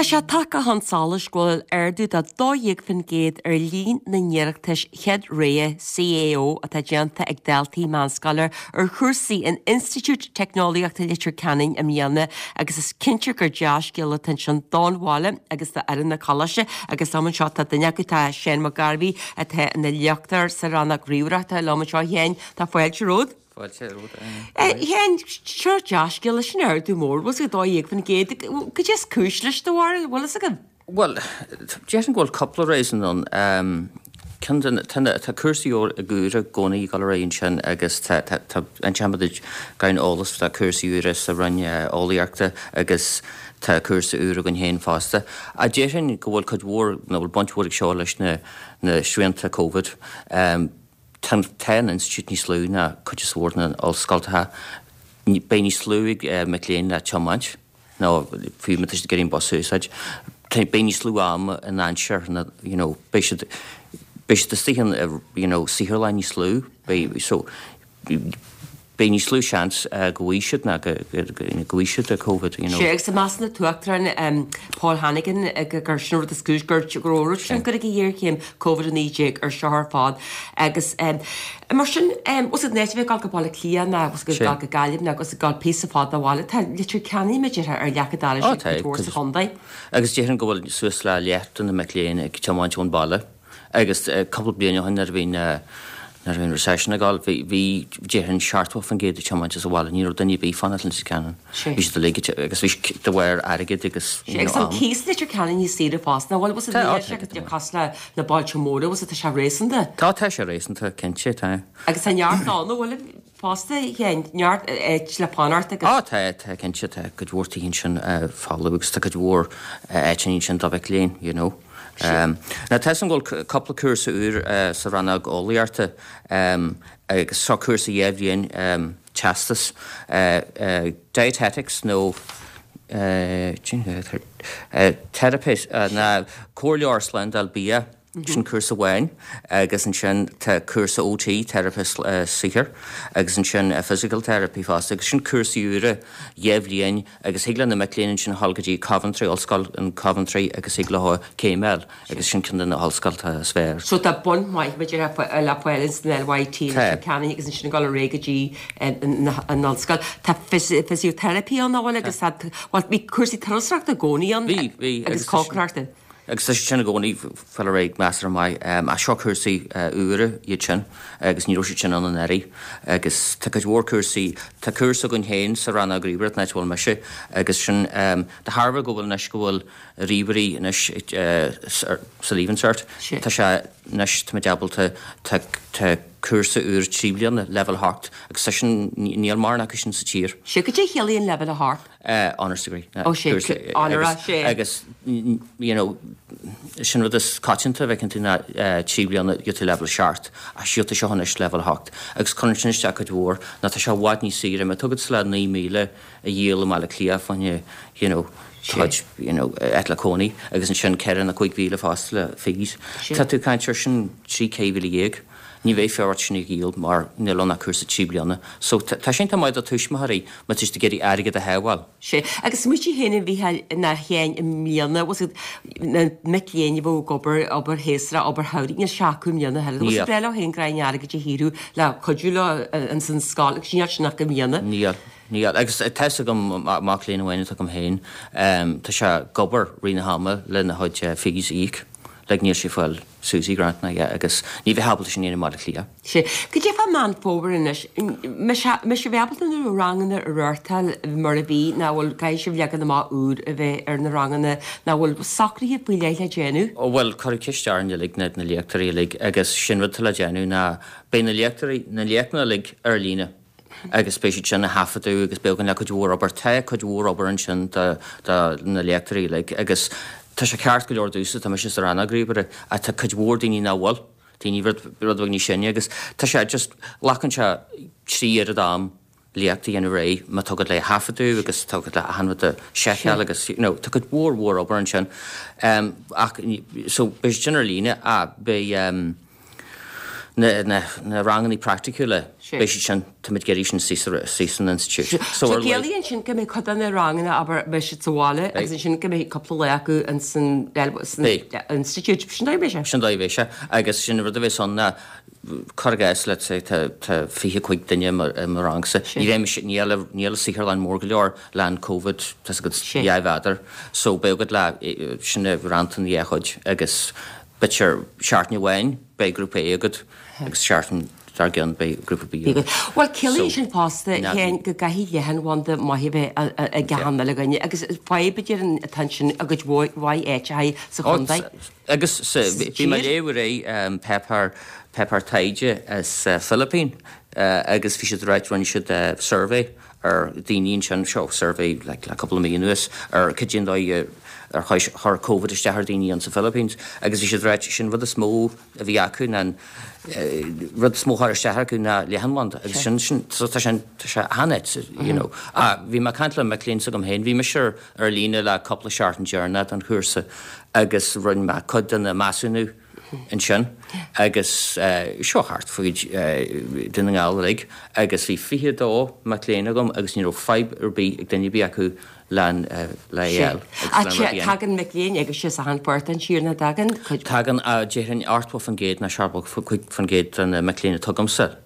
Tá sé tagtha chun solais go bhfuil ardú de 12% ar líon na n-iarratas chéad rogha CAO atá déanta ag daltaí meánscoile ar chúrsaí in Institiúid Teicneolaíochta Leitir Ceanainn i mbliana agus is cinnte gur dea-scéala atá ansin don bhaile agus d'fhoireann an choláiste agus liom anseo tá duine acu, tá Seán Mac Gairbhí atá ina léachtóir sa rannóg ríomhaireachta liom anseo. A Sheáin, tá fáilte romhat. Fáilte romhat. A Sheáin, seo dea-scéala, sin ardú mór, bhfuil 's agat, 12%. Cad é is cúis leis, do bharúil, bhfuil fhios agat? Bhuel, déarfainn go bhfuil cúpla reason ann. Ceann de na, tá na, tá cúrsaí úra i gcónaí ag dul ar aghaidh ansin agus tá, tá, tá, inseoidh muid gan eolas, tá cúrsaí úra sa Roinn Eolaíochta agus tá cúrsa úr againn féin fosta. Ach déarfainn go bhfuil cuid mhór, nó bhfuil baint mhór ag seo leis na, na srianta Covid. Tá an institiúid níos lú ná cuid is mhór na n-ollscoltacha. Beidh níos lú ag mic léinn le tiomáint, nó fiú má tá siad ag iarraidh an bus a úsáid, beidh níos lú ama in aimsir na, you know, beidh siad, beidh siad istigh in, you know, saotharlann níos lú, beidh, so, beidh níos lú seans go bhfaighidh siad ná go bhfaighidh siad Covid, you know. Sea, agus measann an tUachtarán Paul Hannigan gur sin an rud is cúis gur go raibh tionchar ag an ghéarchéim Covid-19 ar seo ar fad. Agus mar sin, bhfuil 's agat in áit a bheith ag dul go Baile Átha Cliath ná bhfuil 's agat ag dul go Gaillimh ná ag dul píosa fada ó bhaile, tá Leitir Ceanainn mar a déarfá ar leac an dorais ag cuid mhór sa chontae. Agus déarfainn go bhfuil suas le leath de na mic léinn ag tiomáint ón baile. Agus cúpla bliain ó shin nuair a bhí na, nuair a bhí an recession ag dul, bhí, bhí, déarfainn 70% ag tiomáint as an bhaile, ní raibh duine ar bith fanacht i Leitir Ceanainn. Bhí siad uilig ag, agus bhí siad de bharr airgid agus, you know, am. Agus an cíos i Leitir Ceanainn níos saoire fosta, nach bhfuil, bhfuil 's agat, níl sé cosúil le na bailte móra, bhfuil 's agat, tá sé réasúnta. Tá, tá sé réasúnta, cinnte, tá. Agus tá neart ann, an bhfuil? Fosta, neart áit le fanacht agus. Á, tá, tá, cinnte, tá cuid mhór tithe ansin folamh agus tá cuid mhór áiteanna ansin do mhic léinn, you know. Now tá 'fhios agam go bhfuil cúpla cúrsa úr sa rannóg eolaíochta agus seo cúrsa dhá bhliain teastas, dietetics nó teiripist, ná comhairleoir slándáil bia. Sin cúrsa amháin agus ansin tá cúrsa OT, teiripe saothair, agus ansin physical therapy fosta agus sin cúrsaí úra dhá bhliain agus thig le na mic léinn ansin a dhul go dtí Coventry, Ollscoil in Coventry agus thig leo céim a fháil agus sin ceann de na hollscoltacha is fearr. So tá bun maith mar a déarfá le fáil ins an LYT, Leitir Ceanainn agus ansin ag dul ar aghaidh go dtí an ollscoil. Tá physiotherapy ann, an bhfuil agus tá, bhuel bhí cúrsaí turasóireachta i gcónaí ann agus cócaireachta. Agus tá siad sin i gcónaí ag fáil ar aghaidh measartha maith. Ach seo cúrsaí úra iad sin agus ní raibh siad sin ann anuraidh. Agus tá cuid mhór cúrsaí, tá cúrsa againn féin sa rannóg ríomhaireacht, an áit a bhfuil mise, agus sin de thairbhe go bhfuil anois go bhfuil ríomhairí anois sa Leaving Cert, tá sé anois, táimid ábalta, tá tá cúrsa úr 3 bliana, Leibhéal 8, agus tá sin, níl mórán acu sin sa tír. Sea, cad é a chiallaíonn Leibhéal 8? Honours degree. Ó sea, onóra, sea. Agus, you know, sin rud is coitianta a bhfeiceann tú ná 3 bliana gheobhaidh tú leibhéal 7, ach gheobhaidh tú seo anois leibhéal 8. Agus cuireann sin isteach cuid mhór, nó tá sé i bhfad níos saoire, má tá agat le 9,000 a dhíol i mBaile Átha Cliath fá choinne, you know, do chuid, you know, áit le cónaí, agus ansin 4 nó 5,000 fosta le fees. Tá tú ag caint ar sin 13,000. Ní bheifeá ort sin a dhíol mar níl ann ach cúrsa 3 bliana. So tá sé iontach maith do tuismitheoirí má tá siad ag iarraidh airgead a shábháil. Sea, agus smaoitigh féin a Mhícheáil ná a Sheáin i mbliana, bhfuil 's agat, na mic léinn a bheadh ag obair, obair shéasúrach, obair shamhraidh, níl sé acu i mbliana a thuilleadh. Bhfuil 's agat, breá leo féin gráinne airgid a shaothrú le cuidiú leo ins an scoil agus níl sin acu i mbliana. Níl, níl. Agus tá 'fhios agam, mac léinn amháin atá agam féin, tá sé ag obair rith na hama lena chuid fees a íoc. Like níl sé ag fáil SUSI grant ná yeah agus ní bheifeá ábalta sin a dhéanamh i mBaile Átha Cliath. Sea. Cad é fá Meán Fómhair anois? Mbeidh sibh ábalta na ranganna a reáchtáil mar a bhí nó bhfuil caithfidh sibh leagan amach úr a bheith ar na ranganna nó bhfuil socruithe faoi leith le déanamh? Ó bhuel cuireadh ceist orainn uilig na na léachtóirí uilig agus sin rud atá le déanamh ná beidh na léachtóirí na léachtanna uilig ar líne. agus beidh siad sin á thaifeadadh agus beidh againn le cuid mhór obair. Tá cuid mhór obair ansin do na léachtóirí uilig agus tá sé ceart go leor domhsa, tá mise sa rannóg ríomhaire ach tá cuid mhór daoine nach bhfuil, daoine rud rud beag níos sine agus tá sé just, glacann sé trí oiread am léacht a dhéanamh réidh má tá agat le thaifeadadh agus tá agat le achan rud a sheiceáil agus you know tá cuid mhór mhór obair ansin. Ach so beidh siad sin ar líne ach beidh. Na, na, na rangannaí praiticiúla, beidh siad sin, táimid ag iarraidh sin istigh san institiúid. So ar ciallaíonn sin go mbeidh cuid de na ranganna, abair, beidh siad sa bhaile agus ansin go mbeidh cúpla lá acu in san, san institiúid. Sin dóigh a bheidh sé. Sin dóigh a bheidh sé. Agus sin an rud a bheas ann ná, cuir i gcás, let's say, tá, tá 25 duine i mo, i mo rangsa. Ní bheidh mise, níl, níl an saotharlann mór go leor le an Covid, tá's agat, 2 mhéadar. So beidh agat le, sin a roinnt ina dhá chuid agus b'fhéidir seachtain amháin beidh grúpa A agat agus seachtain dár gcionn beidh grúpa B agat. Bhuel, ciallaíonn sin fosta, a Sheáin, go gcaithfidh leathanbhanda maith a bheith ag achan uile dhuine agus fadhb a déarfainn atá ansin i gcuid mhaith áiteacha sa chontae. Agus bhí mé ag léamh aréir páipéar, páipéar taighde as Philippines agus bhí siad ag ráit, rinne siad survey ar daoine ansin, seo survey like le cúpla mí anuas, ar cad é an dóigh ar chuir Covid isteach ar daoine ann sa Philippines agus bhí siad ag ráit sin rud is mó a bhí acu ná an rud is mó a chuir isteach acu ná leathanbhanda agus sin sin so tá sé tá sé an-ait you know. Ah bhí mé ag caint le mic léinn s'agam féin, bhí mise ar ar líne le cúpla seachtain deireanach don chúrsa agus rinne mé cuid de na measúnú ansin agus seo thart faoi Dún na nGall uilig agus bhí 22 mac léinn agam agus ní raibh fadhb ar bith ag duine ar bith acu le AL agus le rud Tagann mic léinn agus as achan pháirt den tír nach dtagann cuid. Tagann, déarfainn 80% nó 75% de na mic léinn atá agamsa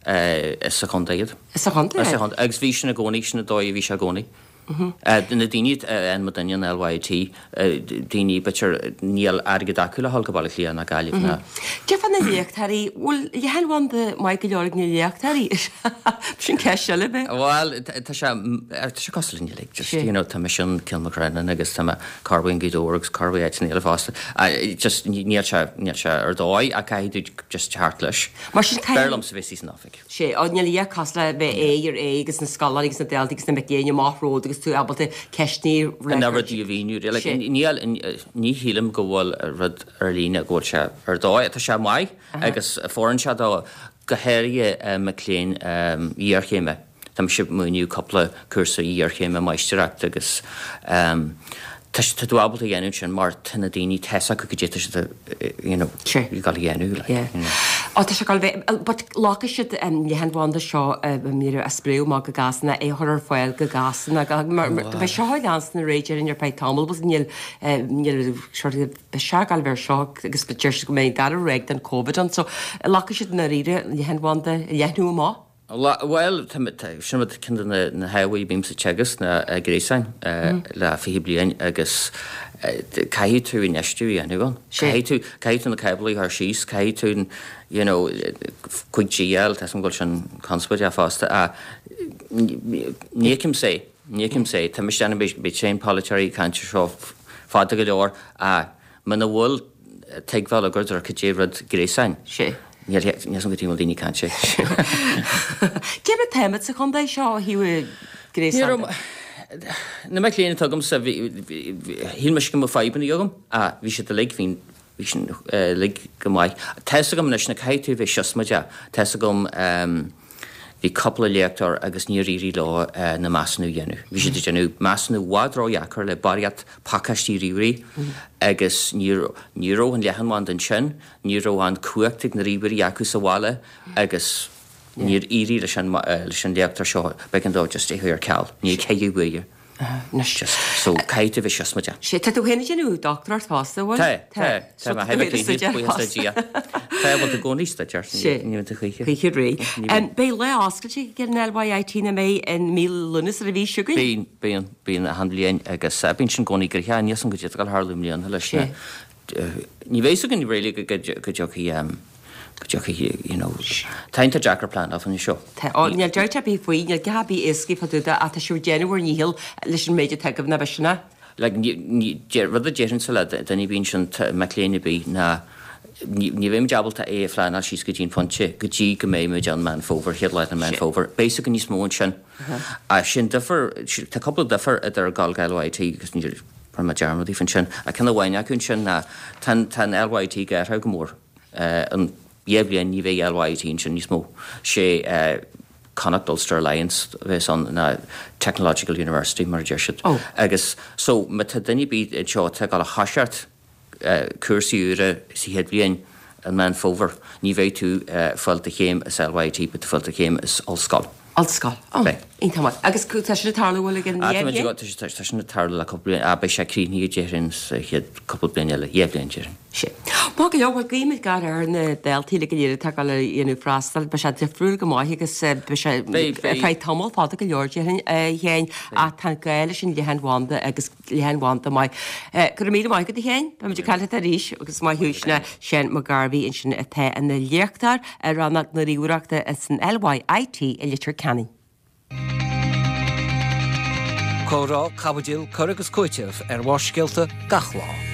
is sa chontae iad. Is sa chontae iad. Agus bhí sin i gcónaí, sin an dóigh a bhí sé i gcónaí. Na daoine a fhaigheann muidinne an LYIT, daoine b'fhéidir níl airgead acu le dhul go Baile Átha Cliath ná Gaillimh ná. Cad é fá na léachtóirí, bhfuil leathanbhanda maith go leor ag na léachtóirí? Sin ceist eile b'fhéidir. Bhuel, tá sé, tá sé cosúil linn uilig, just, you know, tá mise in Cill Mocheannainn agus tá mé corruair in Gaoth Dobhair agus corruair áiteanna eile fosta. Just níl sé, níl sé ar dóigh ach caithfidh tú just teacht leis. Mar sin caithfidh. B'fhearr liomsa bheith san oifig. Sea, ó, níl a dhath cosúil le bheith aghaidh ar aghaidh agus na scoláirí agus na daltaí agus na mic léinn amach romhat agus tú ábalta ceisteanna a fhreagairt. Na rudaí a mhíniú. Like, níl, ní shílim go bhfuil rud ar líne go bhfuil sé ar dóigh. Tá sé maith agus fóireann sé dó, go háirithe mic léinn iarchéime. Tá mise ag múineadh cúpla cúrsa iarchéime máistreachta agus tá tá tú ábalta a dhéanamh sin mar tá na daoine tá a fhios acu cad é atá siad you know ag dul a dhéanamh like you know. Ó tá sé ag dul a bheith but glacfaidh siad leathanbhanda seo a spréadh amach go Gasúna é a chur ar fáil go Gasúna mar beidh seo ag leanstan ar aghaidh déarfainn ar feadh tamaill but níl níl sort of beidh sé ag dul a bheith ar seo agus deir siad go mbeidh an dara ráig den Covid ann so glacfaidh siad i ndáiríre leathanbhanda a leathnú amach. Bhuel, sin rud, ceann de na hábhair a bímse ag teagasc ná gréasáin le 20 bliain agus caithfidh tú infheistiú a dhéanamh ann. Caithfidh tú, caithfidh tú na cáblaí a chur síos, caithfidh tú, you know, 5G a fháil, tá a fhios agam go bhfuil sin conspóideach fosta ach ní fheicimse é, ní fheicimse é. Tá mise ag déanamh, beidh tréan polaiteoirí ag caint ar seo fada go leor ach Muna bhfuil tuigbheáil agat ar cad é rud gréasáin, níl a fhios agam cad chuige a bhfuil daoine ag caint air. Cé mar táimid sa chontae seo ó thaobh gréasáin de? Na mic léinn atá agamsa, shíl mise go mbeadh fadhbanna agam ach bhí siad uilig, bhí bhí siad uilig go maith. Tá fhios agam anois na caithfidh tú a bheith siosmaideach. Tá fhios agam Bhí cúpla léachtóir agus níor éirigh leo na measúnú a dhéanamh. Bhí siad ag déanamh measúnú i bhfad ródheacair le barraíocht pacáistí ríomhairí agus ní ní raibh an leathanbhanda ansin, ní raibh an cumhacht ag na ríomhairí acu sa bhaile agus níor éirigh leis an leis an léachtóir seo, b'éigean dó just é a chur ar ceal. Ní ceitheadh uaidh. Anois. Just, so caithfidh tú a bheith siosmaideach. Sea, tá tú féin ag déanamh dochtúireacht fosta, bhfuil? Tá, tá, tá mé thar a bheith buíochas le Dia. Tá, bhfuil tú i gcónaí ag staidéar? Sea, ní bhíonn tú choíche. Choíche réidh. Beidh lá oscailte ag an LYIT nach mbeidh i mí Lúnasa an mhí seo chugainn? Bíonn, bíonn, bíonn achan bhliain agus bíonn sin i gcónaí gnoitheach, níl 's agam cad é atá ag dul a tharlú i mbliana leis na, Ní bheidh 's againn really go dtiocfaidh, go dtiocfaidh, you know, tá iontach deacair pleanáil faoin seo. Tá, ó, níl dabht ar bith faoi, níl a dhath ar bith éasca fá dtaobh de ach tá sibh ag déanamh bhur ndícheall leis an méid atá agaibh, nach b'shin é? Like, ní, ní, rud a déarfainnse le duine ar bith ansin, mac léinn ar bith, ná ní, ní bheidh muid ábalta é a phleanáil síos go dtí an pointe, go dtí go mbeidh muid ann Meán Fómhair, chéad lá de Meán Fómhair. Beidh 's againn níos mó ansin. Ach sin difear, tá cúpla difear idir gabháil go LYIT agus ní, Rinne mé dearmad daofa ansin. Ach ceann amháin acu ansin ná tá an, tá an LYIT ag athrú go mór. I ndhá bhliain ní bheidh LYIT ansin níos mó. Sé Connacht Ulster Alliance a bheas ann ná Technological University mar a deir siad. Agus so má tá duine ar bith anseo atá ag dul a thoiseacht cúrsaí úra sa chéad bhliain. I Meán Fómhair, ní bheidh tú ag fáil do chéim as LYIT, beidh tú ag fáil do chéim as ollscoil. Ollscoil. Ó, iontach maith. Agus tá sin ag tarlú bhfuil ag an Tá tá sin ag tarlú le cúpla bliain, beidh sé críochnaithe déarfainn sa chéad cúpla bliain eile, 2 bhliain déarfainn. Sea. Maith go leor, bhuel guímid gach rath ar na daltaí uilig go léir atá ag dul a dhéanamh freastal, beidh sé difriúil go maith agus beidh sé ar feadh tamall fada go leor déarfainn a Sheáin ach tá gá leis an leathanbhanda agus leathanbhanda maith. Go raibh míle maith agat a Sheáin, beimid ag caint leat arís agus maith thú sin é Seán Mac Gairbhí ansin atá ina léachtóir i rannóg na ríomhaireachta san LYIT i Leitir Ceanainn. Comhrá, caibidil, cur agus cúiteamh ar Bharrscéalta gach lá.